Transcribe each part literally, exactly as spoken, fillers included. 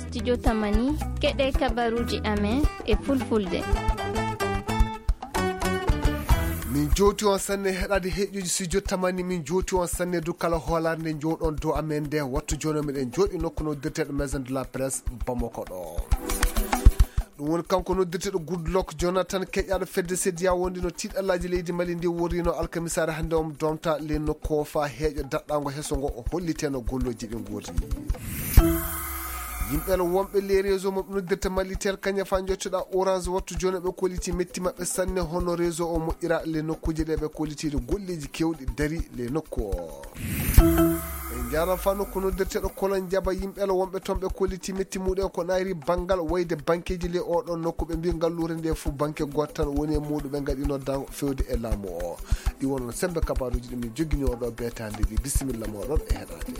Studio Tamani, keɗe kabaruuji amen e fulfulde. Min jooti on sanne heɗaade heƴƴuji studio Tamani, min jooti on sanne du kala hoolaare nde jooɗon dow amen nde wattu jooni miɗen jooɗi nokku noddirteeɗo Maison de la Presse Bamako ɗo. Ɗum woni kanko noddirteeɗo Goodluck Jonathan, keƴaaɗo fedde sediya wondi no tiiɗallaaji leydi Mali ndi worrino alkamisaare hannde on domta le nokku o faa heeƴo daɗɗaango heso ngo o holliteno golloji ɗi ngorri. Yimɓe wonɓe les réseaux mo noddirta Malitel kaña faa njottoɗa Orange wattu jooni ɓe kolliti metti maɓɓe sanne hono réseau o moƴƴira le nokkuuje ɗe ɓe kollitiiɗo golleji kewɗi dari le nokku o. En njaara faa nokku noddirteeɗo Kolon Jaba yimɓe wonɓe toon ɓe kolliti metti muɗen ko nayri banngal wayde bankeeji le oɗon nokku ɓe mbi ngalluure nde fof banke gooto tan woni e muuɗum ɓe ngaɗi noddaango fewde e laamu o. Ɗi wonno sembe kabaruuji ɗi min joginii oɗo beetaande ɗi bisimilla mooɗon e heɗaade.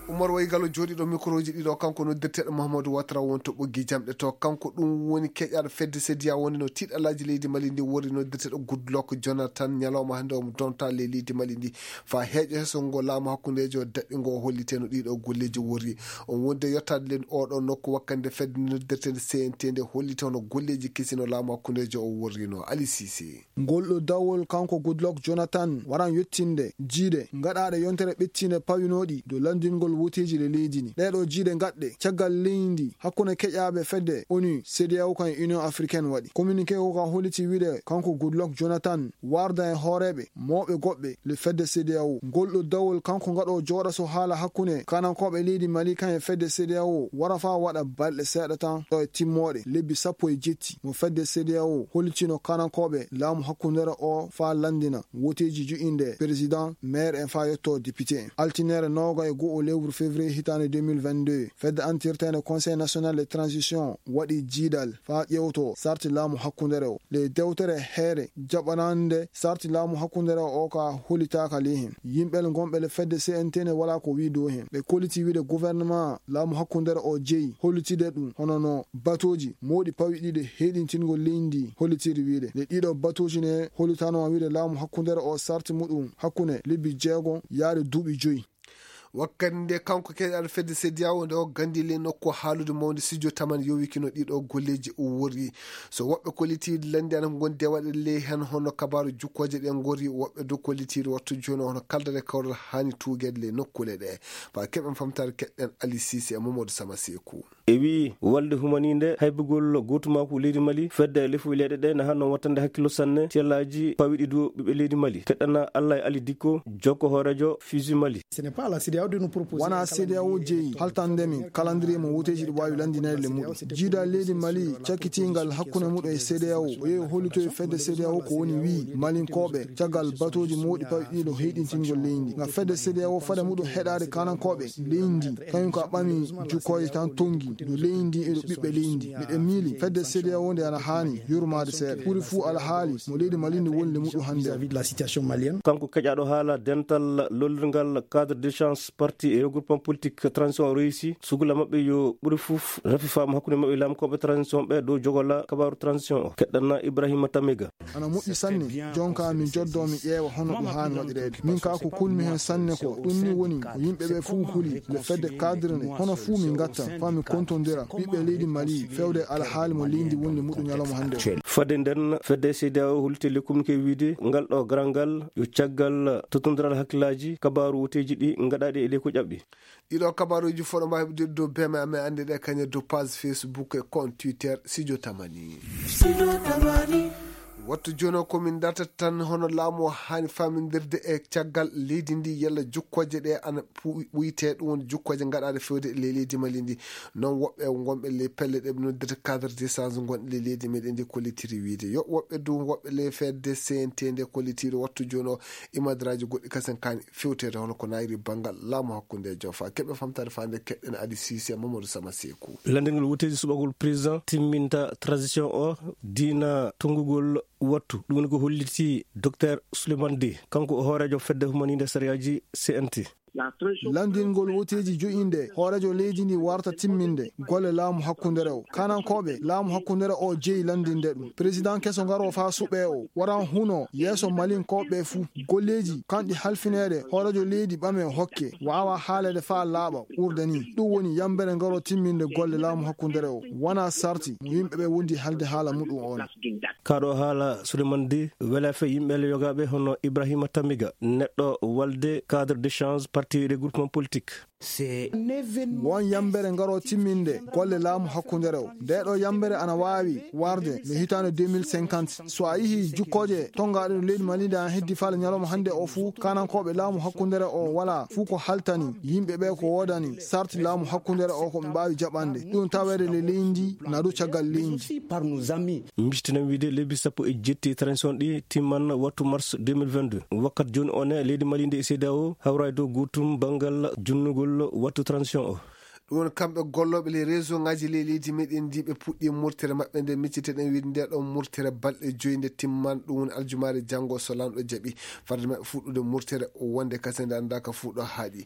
Umar Waygalo jooɗiiɗo mikroji ɗiɗo kanko noddirteeɗo Mahamadou Ouattara won to ɓoggi jamɗe to kanko ɗum woni keƴaaɗo fedde sediya woni no tiiɗalaaji leydi Mali ndi worri noddirteeɗo Goodluck Jonathan ñalawma hannde omo donta le leydi Mali ndi faa heeƴo heso ngo laamu hakkundeejo daɗɗi ngo o holliteno ɗiɗo golleji worri on wonde yottaade len oɗo nokku wakkande fedde noddirteende C N T nde hollita hono golleji kesi no laamu hakkundeejo o worrino Ali Cissé. Ngol ɗo dawol kanko Goodluck Jonathan waran yettinde jiiɗe gaɗaaɗe yontere ɓettinde pawinooɗi dow lanndingol woteeji le leydi ndi. Ɗee ɗoo jiiɗe gaɗɗe caggal leydi hakkunde keƴaaɓe fedde onu, CEDEAO kan e Union Africaine waɗi. Communiqué o ka holliti wiide kanko Goodluck Jonathan warda e hooreeɓe mawɓe goɗɓe le fedde CEDEAO. Ngol ɗo dawol kanko ngaɗo jooɗa so haala hakkunde kanankooɓe leydi Mali kan e fedde CEDEAO wara faa waɗa balɗe seeɗa tan ɗo e timmooɗe lebbi sappo e jetti mo fedde CEDEAO hollitino kanankooɓe laamu hakkundere o faa lanndina woteeji ju'inde président, maire en faa yetto député en. Altineere nooga e go'o lewru février hitaande deux mille vingt-deux, fedde antirteende Conseil national de transition waɗi jiidal faa ƴeewto sarti laamu hakkundere o. Le dewtere heere jaɓanaande sarti laamu hakkundere o ka hollitaaka ley hen. Yimɓe ngonɓe le fedde C N T ne walaa ko wii dow hen. Ɓe kolliti wiide gouvernement laamu hakkundere o jeyi hollitide ɗum hono no batooji mawɗi pawiɗiɗe heyɗintingol leydi ndi hollitiri wiide. Le ɗiɗo batooji ne hollitano wiide laamu hakkundere o sarti muɗum hakkunde lebbi jeego yaade duuɓi joyi. Wakkati nde kanko keɗal fedde CEDEAO nde o gandi le nokku haalude mawde studio Tamani yowikino ɗiɗo golleji o worri. So woɓɓe kollitiiɗi lanndi ana ngondi e waɗde ley heen hono kabaaru jukkooje ɗe ngori, woɓɓe du kollitiiɗi wattu jooni hono kaldere kawral haani tuugeede ley nokkuule ɗe. Faa keɓen famtaare keɗɗen Ali Sise e Mamadou Sama Seeku. E wi'i walde humaniinde haybugol gootumaaku leydi Mali, fedde lefuɓe leyɗe ɗe na hanno wattande hakkillo sanne tiyallaaji pawiɗi du ɓiɓɓe leydi Mali. Keɗɗana Allah e Ali Dikko, jokko hooreejo Fiji Mali. Wona CEDEAO jeyi haltande min calendrier mo woteeji ɗi waawi lanndinede le muɗum. Jiida leydi Mali cakkitiingal hakkunde muɗum e CEDEAO, o yehi hollitoyi fedde CEDEAO ko woni wi'i Malinkooɓe caggal batooji mawɗi pawiɗiɗo heyɗintingol leydi. Nga fedde CEDEAO fade muɗum heɗaade kanankooɓe leydi, kañum ka ɓami jukkooje tan tongi no leydi e no ɓiɓɓe leydi. Miɗen miili fedde CEDEAO nde ana haani yurmaade seeɗa. Ɓuri fuu alhaali mo leydi Mali ndi woni le muɗum hannde. Kanko keƴaaɗo haala dental lollirngal cadre d'échange parti et regroupement politique transition réussi, sugula maɓɓe yo ɓuri fof rafi faamu hakkunde maɓɓe laamkooɓe transition ɓe dow jogola kabaaru transition o. Keɗɗanna Ibrahima Tamega. Ana moƴƴi sanne, jonka mi joddo mi ƴeewa hono ɗum haani waɗireede. Min ka ko kulmi heen sanne ko ɗum ni woni ko yimɓe ɓe fof huli le fedde cadre nde, hono fuu min ngatta faa min kontondira ɓiɓɓe leydi Mali fewde alhaali mo leydi wonde muɗum ñalawma hannde o. Fadde nden, fedde CEDEAO holliti le communiqué wiide ngal ɗo garal ngal yo caggal tottondiral hakkillaaji kabaaru woteeji ɗi ngaɗaaɗi e ley ko ƴaɓɓi. Ɗiɗo kabaaruuji fof ɗo mbaawi heɓde dow B M A, amen annde ɗe kañe dow page Facebook e compte Twitter Studio Tamani. Wattu jooni o ko min dartata tan hono laamu o haani faamindirde e caggal leydi ndi yalla jukkooje ɗe ana pu-, ɓuyte ɗum woni jukkooje ngaɗaaɗe fewde e ley leydi Mali ndi. Noon woɓɓe wonɓe ley pelle ɗe ɓe noddirta cadre d'échange ngonɗe ley leydi meɗen ndi kollitiri wiide yo woɓɓe du woɓɓe ley fedde C N T nde kollitiiɗo wattu jooni o imadraaji goɗɗi kasen kaani fewteede hono ko naayiri banngal laamu hakkunde e joom faa keɓe famtaade faande keɗɗen Ali Sise Mamadou Sama Seeku. Lanndingol woteeji suɓagol président timminta transition o diina tonngugol wattu. Ɗum woni ko holliti Docteur Souleymane Dé, kanko o hooreejo fedde humaniinde sariyaaji C N T. Lanndingol woteeji jo'inde hooreejo leydi ndi warta timminde golle laamu hakkundere o. Kanankooɓe laamu hakkundere o jeyi lanndinde ɗum. Président keso ngaro faa suɓee o waran huno yeeso Malinkooɓe fuu. Golleeji kanɗi halfineede hooreejo leydi ɓame hokke waawa haaleede faa laaɓa ɓurde ni. Ɗum woni yambere ngaro timminde golle laamu hakkundere o. Wanaa sarti mo yimɓe ɓe wondi halde haala muɗum on. Kaɗo haala Suleiman Di, wela fe yimɓe le yogaaɓe hono Ibrahima Tamiga, neɗɗo walde cadre d'échange parti regroupement politique. Won yambere ngaro timminde golle laamu hakkundere o. Nde ɗo yambere ana waawi warde le hitaande deux mille cinquante. So a yihi jukkooje tongaaɗe no leydi Mali nde an heddi faale ñalawma hannde o fuu, kanankooɓe laamu hakkundere o wala fuu ko haltani yimɓe ɓe ko woodani sarti laamu hakkundere o ko ɓe mbaawi jaɓande. Ɗum taweede le leydi na dow caggal leydi. Mistinen wiide lebbi sappo e jetti transition ɗi timman wattu mars deux mille vingt-deux. Wakkat jooni o ne leydi Mali nde e C E D E A O hawra e dow gootum banngal junnugol wattu transition o. Ɗum woni kamɓe gollooɓe les réseau ngaji ley leydi meɗen ndi ɓe puɗɗi murtere maɓɓe nde micciteɗen wiide nde ɗon murtere balɗe joyi nde timman, ɗum woni aljumaare janngo so lanɗo jaɓi. Farde maɓɓe fuɗɗude murtere wonde kase nde annda ka fuɗɗo haaɗi.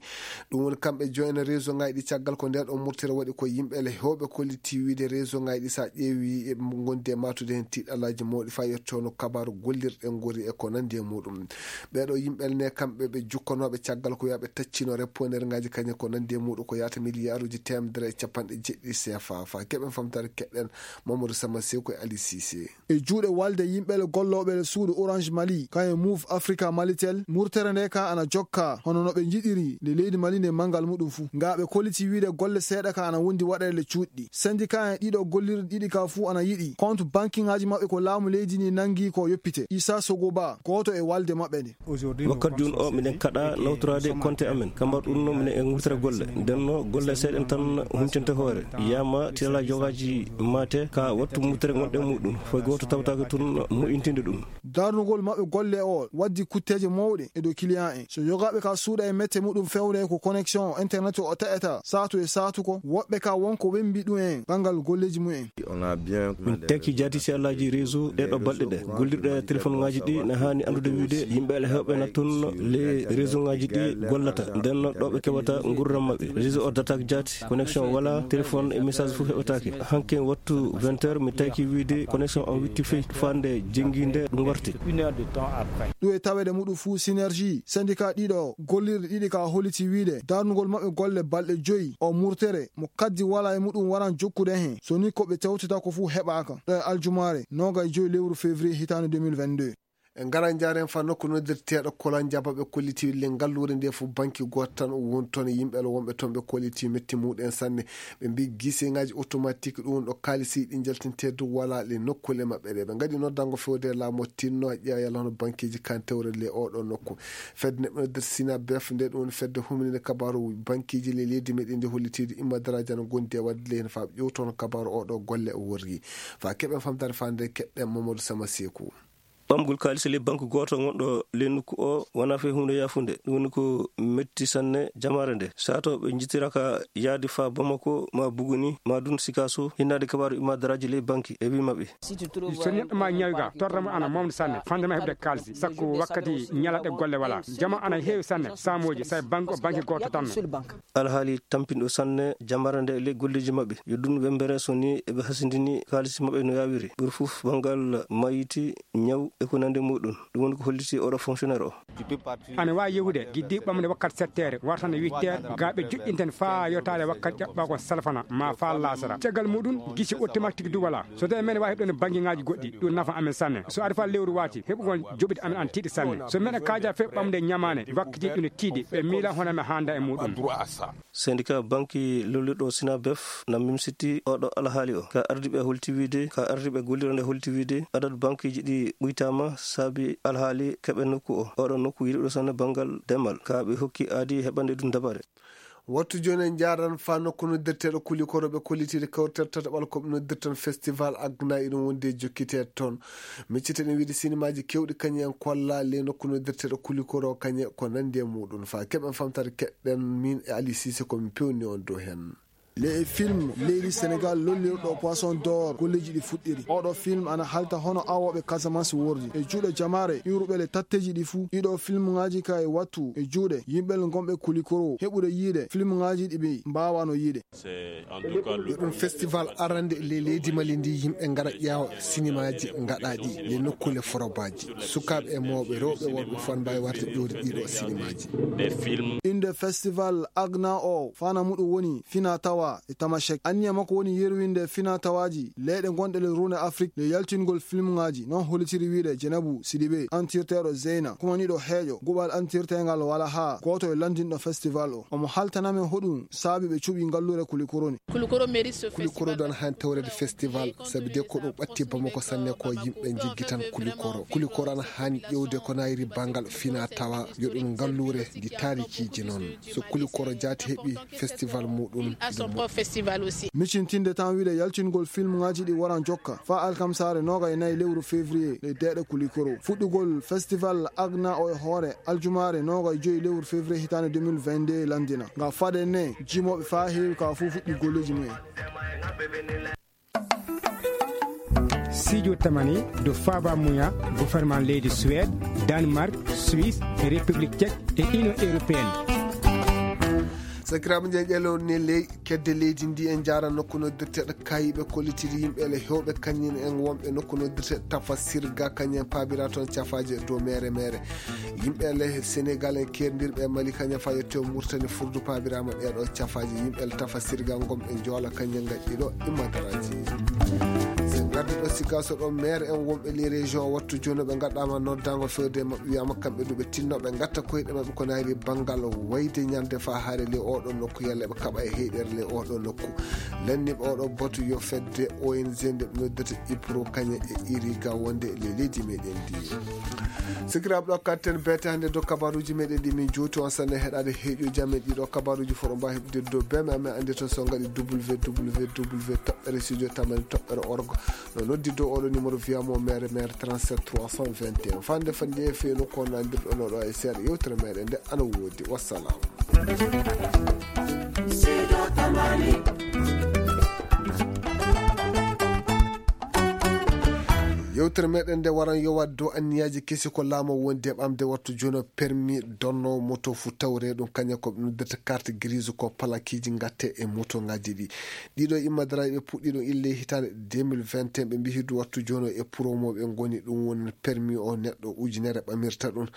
Ɗum woni kamɓe joyna réseau ngaji ɗi caggal ko nde ɗon murtere waɗi ko yimɓe le hewɓe kolliti wiide réseau ngaji ɗi sa ƴeewi e gondi e matude heen tiiɗalaaji mawɗi faa yettono kabaaru gollirɗe ngori e ko nandi e muɗum. Ɓeeɗo yimɓe ne kamɓe ɓe jukkanooɓe caggal ko wiyaɓe taccino reponere ngaji kañe ko nandi e muɗum ko yaata miliyaaruji teemedere e capanɗe jeɗɗi C F A. Faa keɓen famtare keɗɗen Mamadou Sama Seku e Ali Cissé. E juuɗe walde yimɓe le gollooɓe le suudu Orange Mali, kañum Move Africa Malitel, murtere nde ka ana jokka hono no ɓe njiɗiri nde leydi Mali nde manngal muɗum fuu. Nga ɓe kolliti wiide golle seeɗa ka ana wondi waɗeede le cuuɗi. Syndicat en ɗiɗo gollirɗi ɗiɗi ka fuu ana yiɗi compte banking ngaji maɓɓe ko laamu leydi ndi nangi ko yoppite. Issa Sogoba, gooto e walde maɓɓe nde. Wakkat jooni o, miɗen kaɗa nawtoraade konte amen. Kambar ɗum no minen e ngurtira golle. Nden no golle seeɗen tan huncinte hoore. Yama tila jogaaji mate ka wattu mutere gonɗe muɗum. Foy gooto tawtaake tun mo'intinde ɗum. Darnugol maɓɓe golle o waddi kutteeje mawɗe e dow client en. So yogaaɓe ka suuɗa e mette muɗum fewre ko connexion internet o taƴata saatu e saatu ko woɓɓe ka wonko wembi ɗum en banngal golleeji mumen. Min tekki jaati si Allaaji réseau ɗee ɗoo balɗe ɗee. Gollirɗe téléphone ŋaaji ɗi na haani anndude wiide yimɓe ala heewɓe na toon le réseau ŋaaji ɗi gollata. Nden no ɗo ɓe keɓata nguurndam maɓɓe. Réseau o dataaki jaati, connexion wala, téléphone e message fof heɓataake. Hanke wattu vingt heures mi taki wiide connexion on witti fey faande jenngiinde ɗum warti. Une heure de temps après. Ɗum e taweede muɗum fuu Synergie, syndicat ɗiɗo gollirɗe ɗiɗi ka holliti wiide darnugol maɓɓe golle balɗe joyi o murtere mo kaddi wala e muɗum waran jokkude heen, so ni ko ɓe tewtata ko fuu heɓaaka. Ɗo e aljumaare noogay joyi lewru février hitaande deux mille vingt-deux. En ngara njaaren fa nokku noddirteeɗo Kolon Jaba ɓe kolliti le ngalluure nde fof banki gooto tan o woni toon e yimɓe ala wonɓe toon ɓe kolliti metti muɗen sanne. Ɓe mbi giseŋaaji automatique ɗum ɗo kaalisi ɗi jaltinteedu wala le nokkule maɓɓe ɗe. Ɓe ngaɗi noddango fewde laamu tinno ƴeewa yalla hono bankiiji kan tewre le oɗo nokku. Fedde neɗɗo noddirte Sina Bef nde ɗum woni fedde humininde kabaaru bankiiji le leydi meɗen ndi hollitiidu imma daraaji ana gondi e wadde le heen fa ƴewto hono kabaaru oɗo golle o worri. Fa keɓen famtaade fa nde keɗɗen Mamadou Sama Seku. Ɓamgol kaalis e ley banque gooto gonɗo ley nokku o wonaa fay huunde yaafunde. Ɗum woni ko metti sanne jamaare nde. Sato ɓe njittiraka yaade faa Bamako, maa Buguni, maa dun Sikaso, hinnaade kabaaru imadaraaji ley banque e wii maɓɓe. So neɗɗo ma ñawi ga, torra mo ana mawni sanne, fande ma heɓde kaalis, sakko wakkati ñalaɗe golle wala. Jama ana heewi sanne, saamooji, say banque o banque gooto tan. Alhaali tampinɗo sanne jamaare nde e ley golleeji maɓɓe. Yo ɗum wembere so ni eɓe hasindini kaalisi maɓɓe no yaawiri. Ɓuri fof banngal mayiti, ñaw e ko nandi muɗum. Ɗum woni ko holliti oɗo fonctionnaire o. Ana waawi yehude giddi ɓamde wakkati sept heures, wartande huit heures, ga ɓe joɗɗinten faa yotaade wakkati ƴaɓɓaako salfana, ma faa laasara. Caggal muɗum, gisi automatique du wala. So tawi men waawi heɓde bangiŋaaji goɗɗi, ɗum nafa amen sanne. So ari faa lewru waati, heɓugol joɓiɗi amen ana tiiɗi sanne. So men kaaja fee ɓamde ñamaane, wakkati ɗum ne tiiɗi, ɓe miila hono men haanda e muɗum. Syndicat banki lollirɗo Sinabef na mimsiti oɗo alhaali o. Ka ardiiɓe holti wiide, ka ardiiɓe gollirande holti wiide, adadu bankiiji ɗi ɓuytaama saabi alhaali keɓe nokku o. Oɗo nokku yiɗuɗo sanne banngal demal. Ka ɓe hokki aadi heɓande ɗum dabare. Wattu jooni en njaaran faa nokku noddirteeɗo Kulikoro ɓe kollitiiɗo kawrital tataɓal ko ɓe noddirtan festival Agna iɗum wondi e jokkiteede toon. Micciteɗen wiide sinimaaji keewɗi kañum en kolla le nokku noddirteeɗo Kulikoro kañe ko nandi e muɗum. Faa keɓen famtare keɗɗen min e Ali Sise ko min pewni on dow heen. Le film leydi Senegal lollirɗo Poisson d'Or golleeji ɗi fuɗɗiri. Oɗo film ana halta hono awooɓe Casamance wordi. E juuɗe jamaare iwruɓe le tatteji ɗi fuu, ɗiɗo film ngaji ka e wattu e juuɗe yimɓe le gonɓe Kulikoro heɓude yiide film ngaji ɗi ɓe mbaawano yiide. Yo ɗum festival arande le leydi Mali ndi, yimɓe ngara ƴeewa sinimaaji ngaɗaaɗi le nokkuule forobaji. Sukaaɓe e mawɓe, rewɓe, worɓe fof ana mbaawi warde ƴeewde ɗiɗo sinimaaji. Inde festival Agna o, fana muɗum woni fina tawa e tamashek. Anniya makko woni yerwinde fina tawaaji leyɗe gonɗe le rune Afrique le yaltingol filmŋaaji, non hollitiri wiide Jenabu Sidibe, antirteeɗo Zeyna, kumaniiɗo heeƴo guɓal antirteengal wala haa gooto e lanndinɗo festival o. Omo haltana men hoɗum saabi ɓe cuɓi ngalluure Kulikoro ni. Kulikoro mérite ce Kulikoro festival. Kulikoro dan han tawrede festival, sabi de ko ɗum ɓatti Bamako sanne ko yimɓe jiggitan Kulikoro. Kulikoro ana haani ƴewde ko nayri bangal fina tawa, yo ɗum ngalluure ndi taarikiiji noon. So Kulikoro jaati heɓi festival muɗum, à son propre festival aussi. Micintinde tan wiide yaltingol filmŋaaji ɗi waran jokka faa alkamsaare noogay nayi lewru février le deeɗe Kulikoro. Fuɗɗugol festival Agna o e hoore aljumaare noogay joyi lewru février hitaande deux mille vingt-deux lanndina. Nga fade ne jimooɓe faa heewi ka fuu fuɗɗi golleeji mumen. Sijo tamani do Faba Muya, gouvernement leydi Suède, Danemark, Suisse, République Tchèque et Union Européenne. Sakiraaɓe, njeeƴelo ne ley kedde leydi ndi, en njaara nokku noddirteeɗo Kayiɓe, kollitiri yimɓe le heewɓe kañum en wonɓe nokku noddirteeɗo Tafa Sirga, kañum en paabira toon cafaaje dow mere mere. Yimɓe le Senegal en keerdirɓe e Mali, kañum fa yetto Murtani furdu paabiraama ɗeeɗo cafaaji. Yimɓe le Tafa Sirga ngonɓe Joola, kañum ngaɗɗi ɗo immadaraaji. So ngaddi ɗo Sigaso ɗo, maire en wonɓe les régions wattu jooni ɓe ngaɗaama noddaango fewde e maɓɓe, wiyaama kamɓe du ɓe tinno ɓe ngatta koyɗe maɓɓe ko nayri banngal wayde ñande fa haare le oɗo nokku, yalla ɓe kaɓa e heyɗere le oɗo nokku. Lanniiɓe oɗo batu yo fedde O N G nde ɓe noddata Ipro kañe e Iriga wonde le leydi meɗen ndi. Sikiraaɓe, ɗo katten beete hannde dow kabaruuji meɗen ɗi min jowti on sanne heɗaade heeƴuuji amen ɗiɗo kabaruuji fof ɗo mbaawi heɓde dow B M A men annde toon so ngaɗi W W W toɓɓere studio tamani toɓɓere org. No noddi dow oɗo numéro via mo mere mere trente-sept trois cent vingt et un. Fande fande feeno ko nandirɗo no ɗo e seeɗa yewtere meɗen nde ana woodi. Wassalam. Yewtere meɗen nde waran yowaade dow anniyaaji kesi ko laamu wonde e ɓamde wattu jono permis donno moto fu tawre ɗum kaña ko ɓe noddata carte grise ko palakiiji ngatte e moto ngaji ɗi. Ɗiɗo immadaraaji ɓe puɗɗi ɗum ille hitaande deux mille vingt et un, ɓe mbihi du wattu jono e promo ɓe ngoni ɗum woni permis o neɗɗo ujunere ɓamirta ɗum.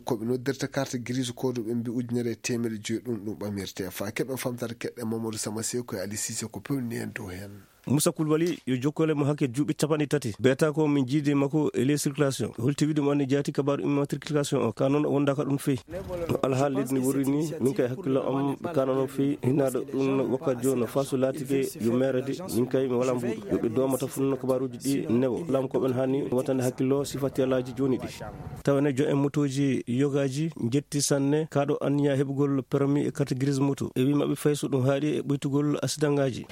Ko ɓe noddirta carte grise ko du ɓe mbi ujunere e teemedde joyi ɗum ɗum ɓamirte. Fa keɓe famtata keɗɗe Mamadou Sama Seko e Ali Cissé ko pewni en dow heen. Moussa Koulibaly yo jokkole mo hakke duuɓi capanɗe tati. Beeta ko min jiidi makko e les circulation. Holti wiide mo anni jaati kabaru immatriculation o. Ka noon o wonda ka ɗum feyi. No alhaali leydi ni wori ni, min kay hakkillo am ɓe kana noon feyi. Hinnaade ɗum wakka jooni no fasu laatike yo meere de, min kay mi wala mbuuɗo. Yo ɓe doomata fuu no kabaruuji ɗi newo. Lam ko ɓen hani watande hakkillo sifa tiyalaaji jooni ɗi. Tawa ne jo en motooji yogaaji njetti sanne kaaɗo anniya heɓugol permis e carte grise moto. E wi maɓɓe fay so ɗum haaɗi e ɓoytugol asidangaaji.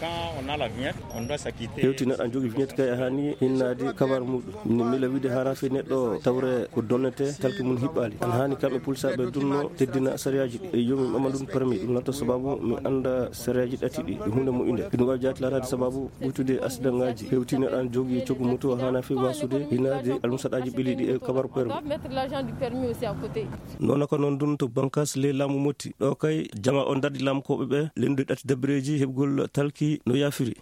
Hewti neɗɗo an jogi vignette kay a hani hinnaade kabar muɗum. Ni mila wiide hara fe neɗɗo tawre ko donnete talki mum hiɓɓaali. An hani kamɓe pulsaaɓe dunno teddina sariyaaji ɗi. E yo min ɓama ɗum permis, ɗum laata sababu mi annda sariyaaji ɗati ɗi. E huunde moƴƴunde. Ɗum wawi jaati laataade sababu ɓuytude asidangaaji. Hewti neɗɗo an jogi coggu moto hana fe wasude hinnaade almusaɗaaji ɓeliɗi e kabar permis. Noona ko noon ɗum to bankas ley laamu Motti. Ɗo kay jama o darɗi laamkooɓe ɓe lenndude ɗati dabireeji heɓgol talki no yaafiri.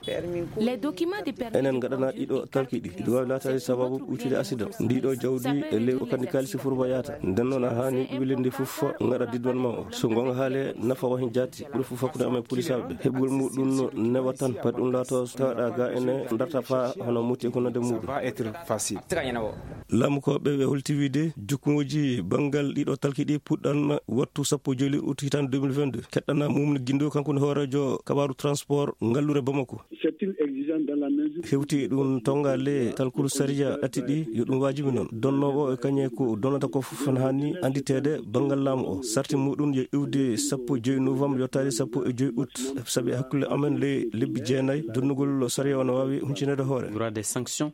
Les documents de permis. Enen ngaɗana ɗiɗo talki ɗi. Ɗi waawi laataade sababu ɓuytude accident. Ndiɗo jawdi e ley o kandi kaalisi furba yaata. Nden noon a haani ɓiɓɓe leydi fof ngaɗa didwan ma o. So ngonga haale nafa wahin jaati. Ɓuri fof hakkunde amen polisaaɓe ɓe. Heɓgol muɗum no newa tan. Pati ɗum laato tawaɗa ga ene darta fa hono Motti e ko nande muɗum. Laamu ko ɓe ɓe holti wiide jukkuŋooji banngal ɗiɗo talki ɗi puɗɗan wattu sappo joyi ut hitaande deux mille vingt-deux. Keɗɗana Mumni Gindo, kanko ne hooreejo kabaaru transport ngallure Bamako. Hewti ɗum tonga le talkuru sariya ɗati ɗi yo ɗum waajibi noon. Donnoowo e kañe ko donnata ko fof ne haani annditeede banngal laamu o. Sarti muɗum yo iwde sappo joyi novembre yottaade sappo e joyi ut. Sabi hakkunde amen le lebbi jeenayi donnugol sariya o no waawi huncineede hoore. Droit des sanctions.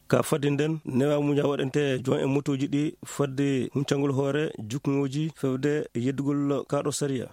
Ka fadde nden, newa muña waɗante jon e motooji ɗi fadde huncangol hoore jukkuŋooji fewde e yeddugol kaaɗo sariya.